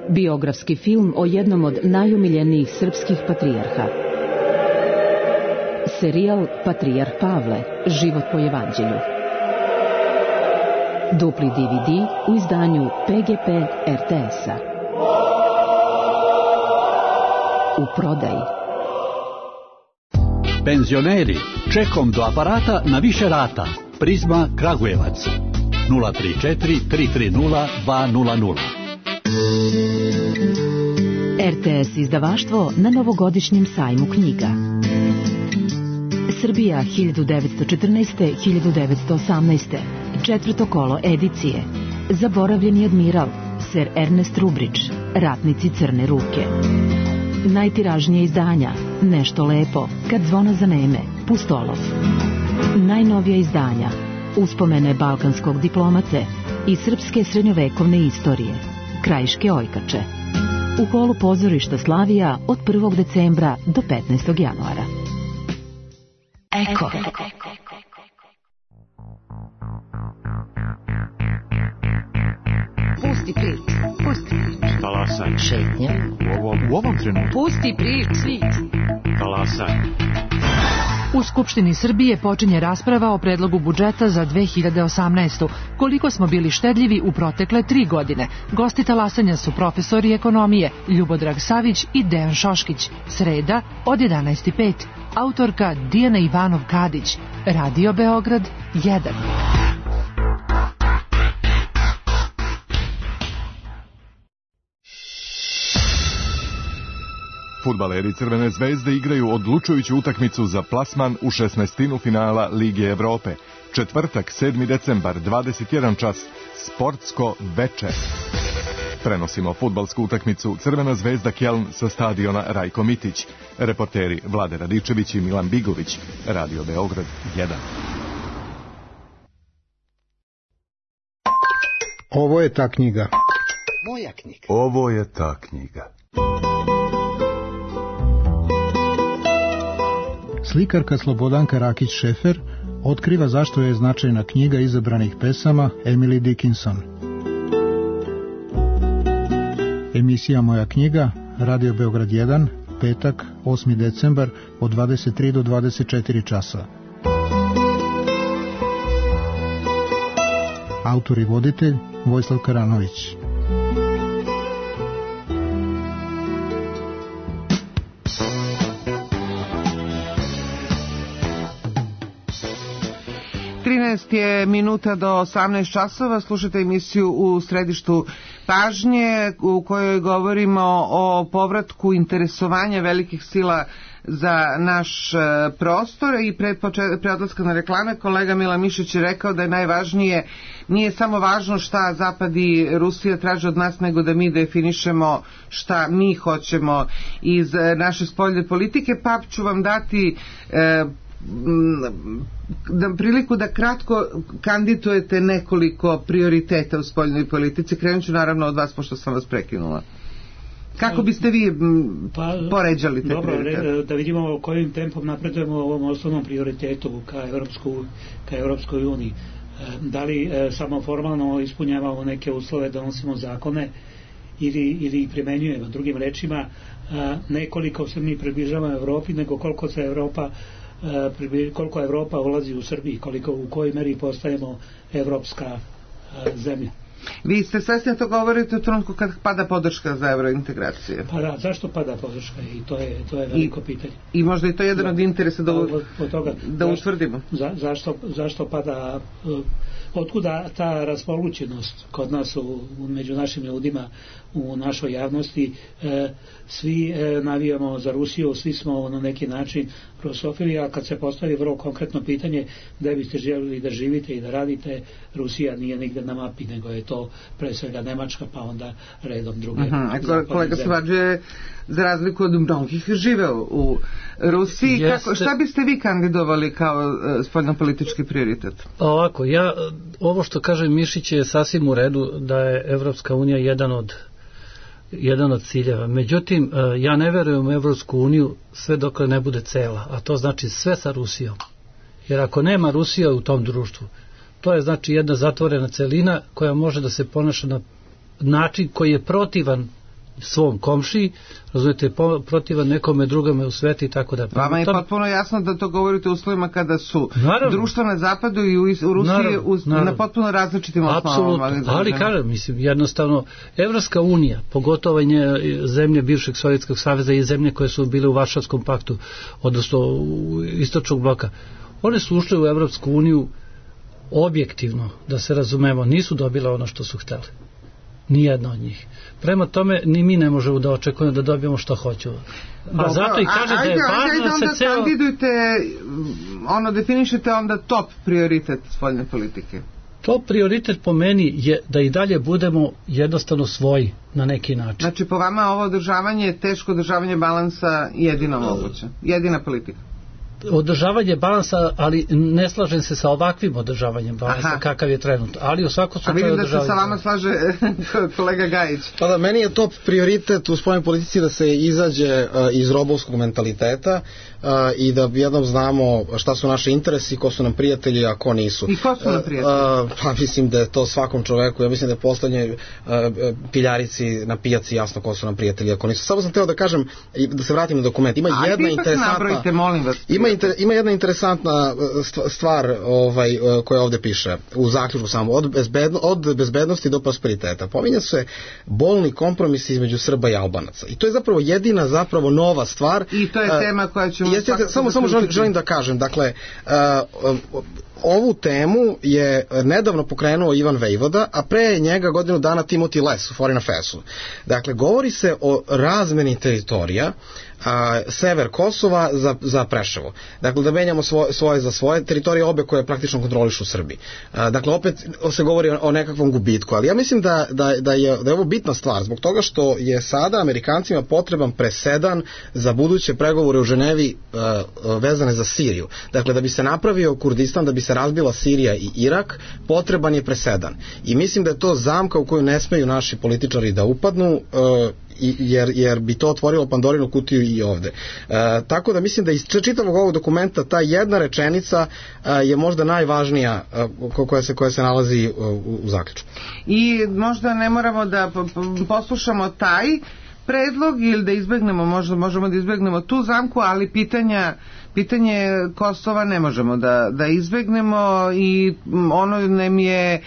Biografski film o jednom od najomiljenijih srpskih patrijarha. Serijal Patrijarh Pavle, život po evanđelju. Dupli DVD u izdanju PGP RTS-a. U prodaji. Penzioneri, čekom do aparata na više rata. Prizma Kragujevac 034 330 200. RTS izdavaštvo na novogodišnjem sajmu knjiga. Srbija 1914-1918. Četvrto kolo edicije. Zaboravljeni admiral, Sir Ernest Rubridge, Ratnici crne ruke. Najtiražnije izdanja, Nešto lepo, Kad zvona zaneme, Pustolov. Najnovija izdanja, Uspomene balkanskog diplomate i srpske srednjovekovne istorije, Krajiške ojkače. U holu pozorišta Slavija od 1. decembra do 15. januara. Eko. Pusti prič. Talasaj. Šetnja. U ovom trenutku. Pusti prič. Talasaj. U Skupštini Srbije počinje rasprava o predlogu budžeta za 2018. Koliko smo bili štedljivi u protekle 3 godine. Gosti talasanja su profesori ekonomije Ljubodrag Savić i Dejan Šoškić. Sreda od 11:05. Autorka Dijana Ivanov-Kadić. Radio Beograd 1. Fudbaleri Crvene zvezde igraju odlučujuću utakmicu za plasman u 16. finala Lige Evrope. Četvrtak, 7. decembar, 21 čas, sportsko veče. Prenosimo fudbalsku utakmicu Crvena zvezda Kjeln sa stadiona Rajko Mitić. Reporteri Vlade Radičević i Milan Bigović. Radio Beograd 1. Ovo je ta knjiga. Moja knjiga. Ovo je ta knjiga. Slikarka Slobodanka Rakić-Šefer otkriva zašto je značajna knjiga izabranih pesama Emily Dickinson. Emisija Moja knjiga, Radio Beograd 1, petak, 8. decembar, od 23 do 24 časa. Autor i voditelj Vojislav Karanović. Je minuta do 18 časova, slušate emisiju U središtu pažnje u kojoj govorimo o povratku interesovanja velikih sila za naš prostor i pre odlaska na reklame kolega Mila Mišić je rekao da je najvažnije, nije samo važno šta Zapad i Rusija traže od nas, nego da mi definišemo šta mi hoćemo iz naše spoljne politike, pa ću vam dati priliku da kratko kandidujete nekoliko prioriteta u spoljnoj politici. Krenut ću naravno od vas, pošto sam vas prekinula. Kako biste vi poređali te prioritete? Dobro, da vidimo kojim tempom napredujemo u ovom osnovnom prioritetu ka Evropskoj uniji. Da li samo formalno ispunjavamo neke uslove, donosimo zakone ili primenjujemo. Drugim rečima, nekoliko se mi približavamo Evropi, nego koliko Evropa ulazi u Srbiji, u kojoj meri postajemo evropska zemlja. Vi ste svesni da to govorite u trenutku kad pada podrška za evrointegracije? Pa da, zašto pada podrška? I to je veliko pitanje. I možda i to je jedan od interesa da utvrdimo. Zašto pada, otkuda ta raspolućenost kod nas, među našim ljudima, u našoj javnosti? Svi navijamo za Rusiju, svi smo na neki način prosofili, a kad se postavi vrlo konkretno pitanje gde biste željeli da živite i da radite, Rusija nije nigde na mapi, nego je to pre svega Nemačka, pa onda redom druge. Kolega Svađe, za razliku od mnogih, živeo u Rusiji. Šta biste vi kandidovali kao spoljnopolitički prioritet? Ovako, ovo što kaže Mišić je sasvim u redu, da je Evropska unija jedan od ciljeva. Međutim, ja ne verujem u Evropsku uniju sve dok ne bude cela, a to znači sve sa Rusijom. Jer ako nema Rusija u tom društvu, to je znači jedna zatvorena celina koja može da se ponaša na način koji je protivan svom komšiji, razumijete, protivan nekome drugome u sveti i tako da. Vama je potpuno jasno da to govorite u uslovima kada su društva na zapadu i u Rusiji na potpuno različitim osnovama. Apsolutno, ali kažem, mislim, jednostavno, Evropska unija, pogotovo zemlje bivšeg Sovjetskog saveza i zemlje koje su bile u Varšavskom paktu, odnosno u istočnog bloka, one su ušle u Evropsku uniju objektivno, da se razumemo, nisu dobile ono što su hteli. Nijedno od njih. Prema tome, ni mi ne možemo da očekujemo da dobijemo što hoćemo. A zato i kaže da je važno da se ceo... Kandidujte, definišete onda top prioritet spoljne politike. Top prioritet po meni je da i dalje budemo jednostavno svoji na neki način. Znači, po vama ovo održavanje, teško održavanje balansa jedino moguće, jedina politika. Održavanje balansa, ali ne slažem se sa ovakvim održavanjem balansa kakav je trenutno, ali u svakom slučaju održavanje. A vidim da se sa vama slaže kolega Gajić. Pa da, meni je top prioritet u spoljnoj politici da se izađe iz robovskog mentaliteta i da jednom znamo šta su naši interesi, ko su nam prijatelji, a ko nisu. I ko su nam prijatelji? Pa mislim da je to svakom čoveku, ja mislim da je poslednje piljarici na pijaci jasno ko su nam prijatelji, ako nisu. Samo sam teo da kažem, da se vratim na dokument, ima jedna interesantna... Ima jedna interesantna stvar koja ovde piše u zaključku samo, od bezbednosti do prosperiteta. Pominja se bolni kompromis između Srba i Albanaca. I to je zapravo jedina nova stvar. I to je tema koja ćemo... Samo želim da kažem, dakle, ovu temu je nedavno pokrenuo Ivan Vejvoda, a pre njega godinu dana Timothy Les u Foreign Affairs-u. Dakle, govori se o razmeni teritorija, sever Kosova za Preševo. Dakle, da menjamo svoje za svoje teritorije, obe koje praktično kontrolišu Srbi. Dakle, opet se govori o nekakvom gubitku, ali ja mislim da je ovo bitna stvar, zbog toga što je sada Amerikancima potreban presedan za buduće pregovore u Ženevi vezane za Siriju. Dakle, da bi se napravio Kurdistan, da bi se razbila Sirija i Irak, potreban je presedan. I mislim da je to zamka u koju ne smeju naši političari da upadnu, jer bi to otvorilo Pandorinu kutiju i ovde. Tako da mislim da iz čitavog ovog dokumenta ta jedna rečenica je možda najvažnija koja se nalazi u zaključku. I možda ne moramo da poslušamo taj predlog ili da izbegnemo, možemo da izbegnemo tu zamku, ali pitanje Kosova ne možemo da izbegnemo i ono nam je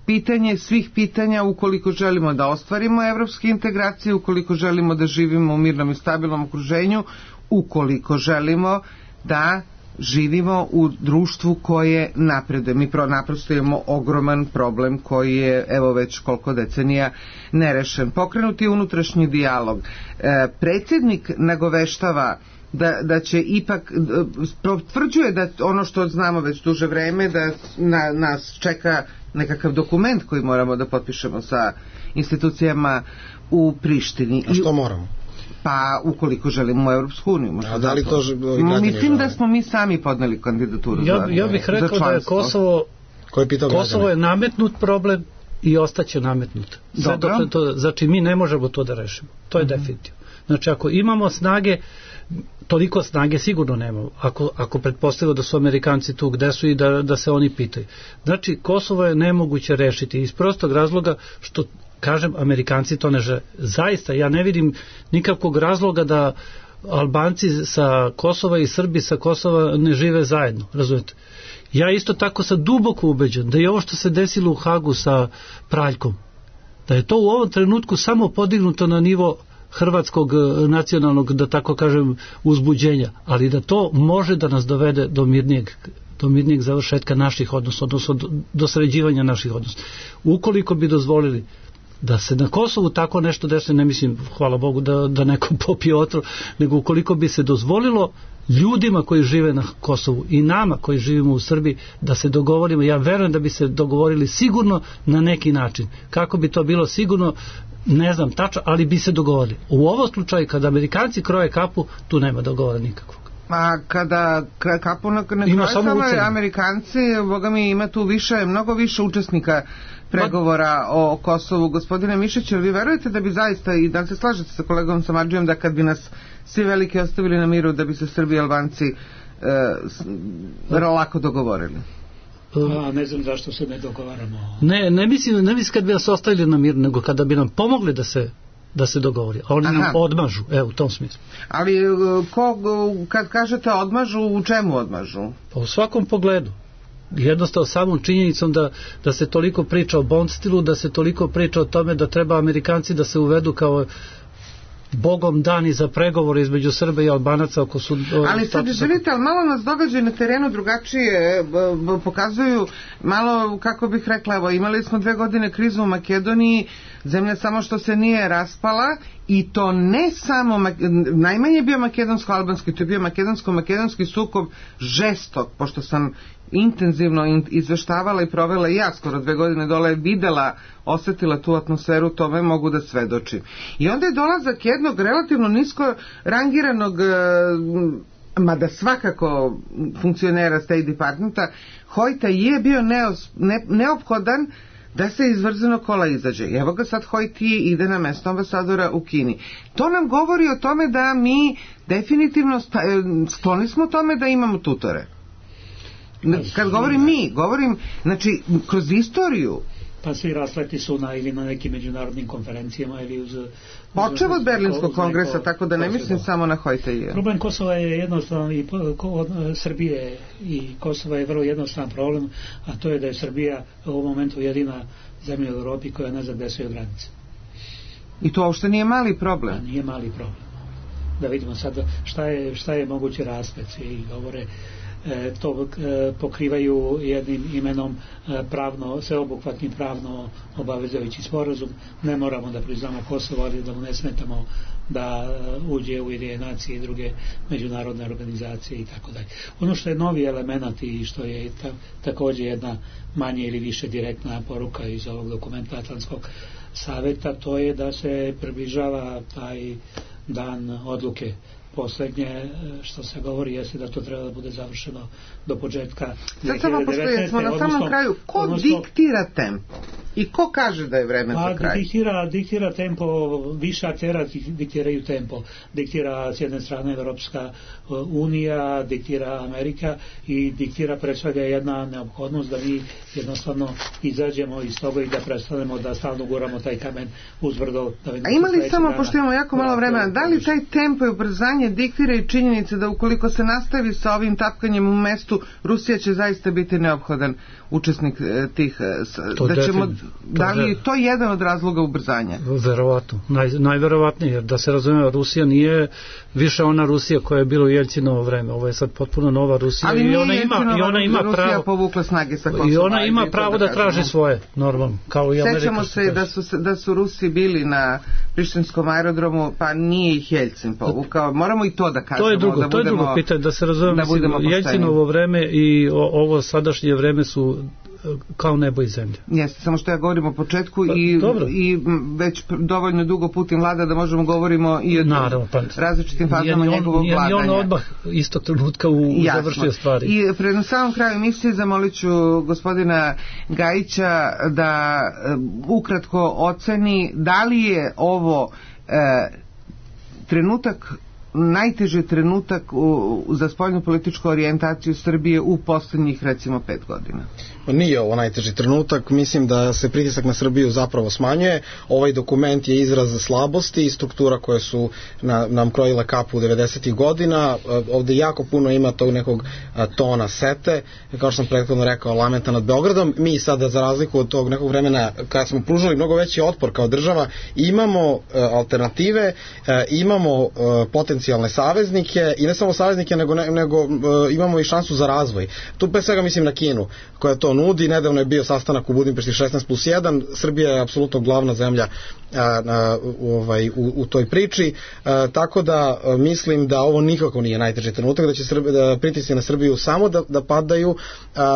pitanje svih pitanja ukoliko želimo da ostvarimo evropske integracije, ukoliko želimo da živimo u mirnom i stabilnom okruženju, ukoliko želimo da živimo u društvu koje napreduje. Mi naprosto imamo ogroman problem koji je evo već koliko decenija nerešen. Pokrenuti unutrašnji dijalog. Predsjednik nagoveštava da će ipak, potvrđuje da ono što znamo već duže vreme, da nas čeka nekakav dokument koji moramo da potpišemo sa institucijama u Prištini. A što moramo? Pa ukoliko želimo u Evropsku uniju. Mislim da smo mi sami podneli kandidaturu za članstvo. Ja bih rekao da je Kosovo je nametnut problem i ostaće nametnut. Znači mi ne možemo to da rešimo. To je definitivno. Znači ako imamo snage, toliko snage sigurno nemamo, ako pretpostavimo da su Amerikanci tu gde su i da se oni pitaju. Znači Kosovo je nemoguće rešiti iz prostog razloga što, kažem, Amerikanci to ne žele. Zaista, ja ne vidim nikakvog razloga da Albanci sa Kosova i Srbi sa Kosova ne žive zajedno, razumete? Ja isto tako sam duboko ubeđen da je ovo što se desilo u Hagu sa Praljkom, da je to u ovom trenutku samo podignuto na nivo hrvatskog nacionalnog, da tako kažem, uzbuđenja, ali da to može da nas dovede do mirnijeg završetka naših odnosa, odnosno do sređivanja naših odnosa. Ukoliko bi dozvolili da se na Kosovu tako nešto desi, ne mislim, hvala Bogu, da neko popije otrov, nego ukoliko bi se dozvolilo ljudima koji žive na Kosovu i nama koji živimo u Srbiji da se dogovorimo, ja verujem da bi se dogovorili sigurno na neki način. Kako bi to bilo sigurno, ne znam tačno, ali bi se dogovorili. U ovom slučaju, kada Amerikanci kroje kapu, tu nema dogovora nikakvog. A kada kapu ne kroje samo Amerikanci, boga mi ima tu mnogo više učesnika pregovora o Kosovu. Gospodine Mišić, vi verujete da bi zaista, i da se slažete sa kolegom Samardžijom, da kad bi nas svi veliki ostavili na miru, da bi se Srbi i Albanci lako dogovorili? Ne znam zašto se ne dogovaramo. Ne mislim kad bi nas ostavili na miru, nego kada bi nam pomogli da se dogovori. A oni nam odmažu, u tom smislu. Ali kad kažete odmažu, u čemu odmažu? Pa u svakom pogledu. Jednostavno samom činjenicom da se toliko priča o bond stilu, da se toliko priča o tome da treba Amerikanci da se uvedu kao bogom dani za pregovore između Srba i Albanaca oko ali sad izvinite, ali malo nas događaju na terenu drugačije, pokazuju malo, kako bih rekla, evo, imali smo 2 godine krizu u Makedoniji, zemlja samo što se nije raspala, i to ne samo najmanje je bio makedonsko-albanski, to je bio makedonsko-makedonski sukob žestok, pošto sam intenzivno izveštavala i provela i ja skoro 2 godine dole, videla, osetila tu atmosferu, tome mogu da svedočim. I onda je dolazak jednog relativno nisko rangiranog, mada svakako funkcionera State Departmenta, Hojta je bio neophodan da se iz vrzenog kola izađe. I evo ga sad Hojti ide na mesto ambasadora u Kini. To nam govori o tome da mi definitivno skloni smo tome da imamo tutore. Kad govorim mi, govorim, znači, kroz istoriju. Pa svi rasleti su ili na nekim međunarodnim konferencijama ili uz... Počeo od Berlinskog kongresa, tako da ne mislim samo na Hojteje. Problem Kosova je jednostavan i Srbije i Kosova je vrlo jednostavan problem, a to je da je Srbija u ovom momentu jedina zemlja u Europi koja ne zna gde su joj granice. I to uopšte nije mali problem. A nije mali problem. Da vidimo sad šta je mogući rasplet. I govore to pokrivaju jednim imenom pravno, sveobuhvatni pravno obavezujući sporazum. Ne moramo da priznamo Kosovo, ali da mu ne smetamo da uđe u Ujedinjene nacije i druge međunarodne organizacije i tako dalje. Ono što je novi element i što je također jedna manje ili više direktna poruka iz ovog dokumenta Atlantskog saveta, to je da se približava taj dan odluke. Poslednje što se govori jeste da to treba da bude završeno do početka 2019. Sad pošto smo na samom kraju, ko diktira tempo? I ko kaže da je vreme za kraj? Diktira tempo, više aktera diktiraju tempo. Diktira s jedne strane Evropska unija, diktira Amerika i diktira pre svega jedna neophodnost da mi jednostavno izađemo iz toga i da prestanemo da stalno guramo taj kamen uzbrdo. A ima li samo, pošto imamo jako malo vremena, da li taj tempo i ubrzanje diktira i činjenice da ukoliko se nastavi sa ovim tapkanjem u mestu, Rusija će zaista biti neophodan učesnik tih, da li je to jedan od razloga ubrzanja? Verovatno, najverovatnije, jer da se razume, Rusija nije više ona Rusija koja je bila u Jeljcinovo vreme, ovo je sad potpuno nova Rusija. Ali ona ima Rusija povukla snage sa Kosova. I ona ima pravo da traži svoje, normalno, kao i Amerika. Sećamo se da su Rusi bili na Prištinskom aerodromu, pa nije ih Jeljcin povukao, moramo i to da kažemo. To je drugo pitanje, da se razume, Jeljcinovo vreme i ovo sadašnje vreme su kao nebo i zemlja. Jeste, samo što ja govorim o početku i već dovoljno dugo Putin vlada da možemo govorimo i o različitim fazama njegovog vladanja. Nije on odmah istog trenutka završio stvari. I pred samom kraju emisije zamolit ću gospodina Gajića da ukratko oceni da li je ovo trenutak, najteži trenutak za spoljnu političku orijentaciju Srbije u poslednjih recimo 5 godina. Nije ovo najteži trenutak, mislim da se pritisak na Srbiju zapravo smanjuje. Ovaj dokument je izraz slabosti i struktura koje su nam krojile kapu u 90. godina. Ovde jako puno ima tog nekog tona sete, kao što sam prethodno rekao, lamenta nad Beogradom. Mi sada, za razliku od tog nekog vremena kada smo pružali mnogo veći otpor kao država, imamo alternative, imamo potencijalne saveznike i ne samo saveznike, nego imamo i šansu za razvoj. Tu pre svega mislim na Kinu, koja to nudi. Nedavno je bio sastanak u Budimpešti 16+1. Srbija je apsolutno glavna zemlja u toj priči, tako da mislim da ovo nikako nije najteži trenutak, da će pritisci na Srbiju samo da padaju.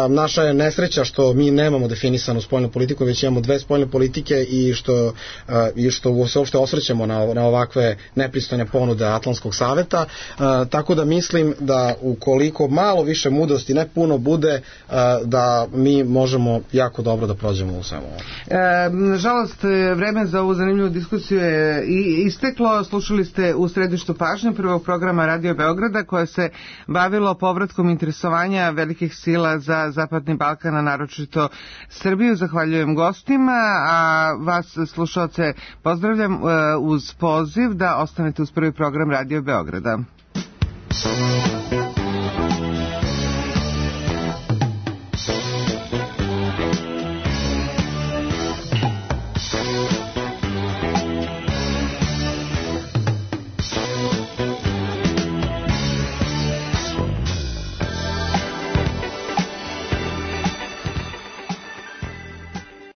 Naša je nesreća što mi nemamo definisanu spoljnu politiku, već imamo 2 spoljne politike i što se uopšte osvrćemo na ovakve nepristojne ponude Atlantskog saveta, tako da mislim da ukoliko malo više mudrosti, ne puno, bude, da mi mi možemo jako dobro da prođemo u svemu. Nažalost, vreme za ovu zanimljivu diskusiju je isteklo. Slušali ste u središtu pažnje prvog programa Radio Beograda koje se bavilo povratkom interesovanja velikih sila za Zapadni Balkan, a naročito Srbiju. Zahvaljujem gostima, a vas slušaoce pozdravljam uz poziv da ostanete uz prvi program Radio Beograda.